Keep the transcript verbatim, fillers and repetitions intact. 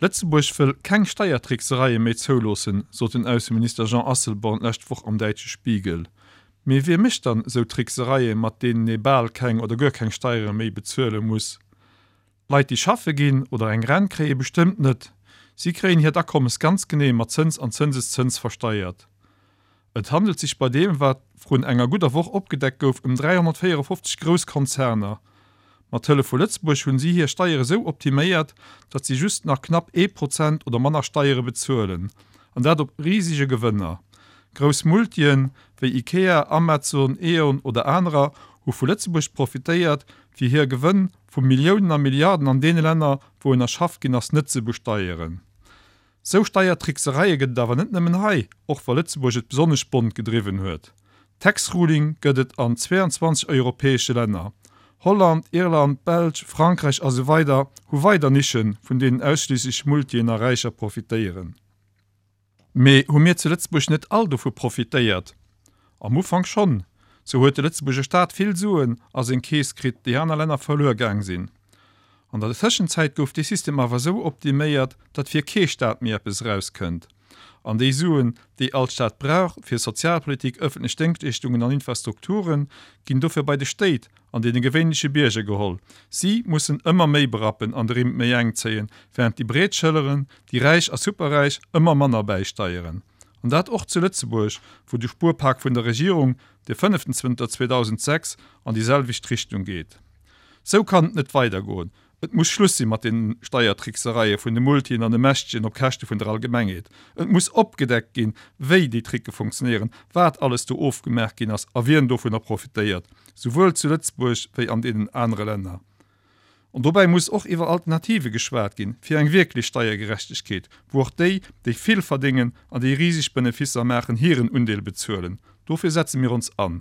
Lëtzebuerg wëll keng Steiertricksereie méi zouloossen, sot den Ausseminister Jean Asselborn d'lescht Woch am däitsche Spiegel. Mee wie mécht dann esou Tricksereie mat deenen ee bal keng oder guer keng Steiere méi bezuele muss? Leit déi schaffe ginn oder eng Rent kréie bestëmmt net. Si kréien hiert Akommes ganz genee mat Zëns an Zënseszëns versteiert. Et handelt sech bei deem wat vrun enger gudder Woch opgedeckt gouf ëm dräihonnertvéierefofzeg grouss Konzerner. Mat Hëllef vu Lëtzebuerg hunn si hir Steiere sou optiméiert, datt si just nach knapp ee Prozent oder manner Steiere bezuelen. An dat op risege Gewënner. Grouss Multien, wéi Ikea, Amazon, Eon oder anerer hu vu Lëtzebuerg profitéiert, fir hir Gewënn vu Milliounen a Milliarden an deene Länner, wou en erschafft ginn ass, net ze besteieren. Sou Steiertricksereie gëtt et awer net nëmmen hei, och wa Lëtzebuerg et besonnesch bont gedriwwen huet. Tax Ruling gëtt et an zweiandzwanzeg europäesche Länner. Holland, Irland, Belsch, Frankräich a sou weider hu weider Nischen, vun deenen ausschliisslech Multien a Räicher profitéieren. Mee hu mir zu Lëtzebuerg net all dovu profitéiert? Am Ufank schonn. Sou huet de Lëtzebuerger Staat vill Suen a seng Keess kritt, déi aner Länner verluer gaang sinn. An der Tëschenzäit gouf dee System awer esou optiméiert, datt fir kee Staat méi eppes erauskënnt. An déi Suen, déi all Staat brauch fir Sozialpolitik, ëffentlech Déngschtleeschtungen an Infrastrukturen, ginn dofir bei de Stéit an deene gewéinleche Bierger geholl. Si mussen ëmmer méi berappen an de Rimm méi enk zéien, wärend déi breet Schëlleren, déi Räich a Superräich, ëmmer manner bäisteieren. An dat och zu Lëtzebuerg, wou de Spuerpak vun der Regierung, dee fënneften zënter zweedausendsechs, an déi selwecht Richtung geet. Sou kann et net weidergoen. Et muss Schluss si mat den Steiertricksereie vun de Multien an de Mächtegen op Käschte vun der Allgemengheet. Et muss opgedeckt ginn, wéi déi Tricke funktionéieren, wat alles do ofgemaach ginn ass a wien dovunner profitéiert, souwuel zu Lëtzebuerg wéi an deenen anere Länner. An dobäi muss och iwwer Alternative geschwat ginn, fir eng wierklech Steiergerechtegkeet, wou och déi, déi vill verdéngen an déi riseg Benefisser maachen, hiren Undeel bezuelen. Dofir setze mir ons an.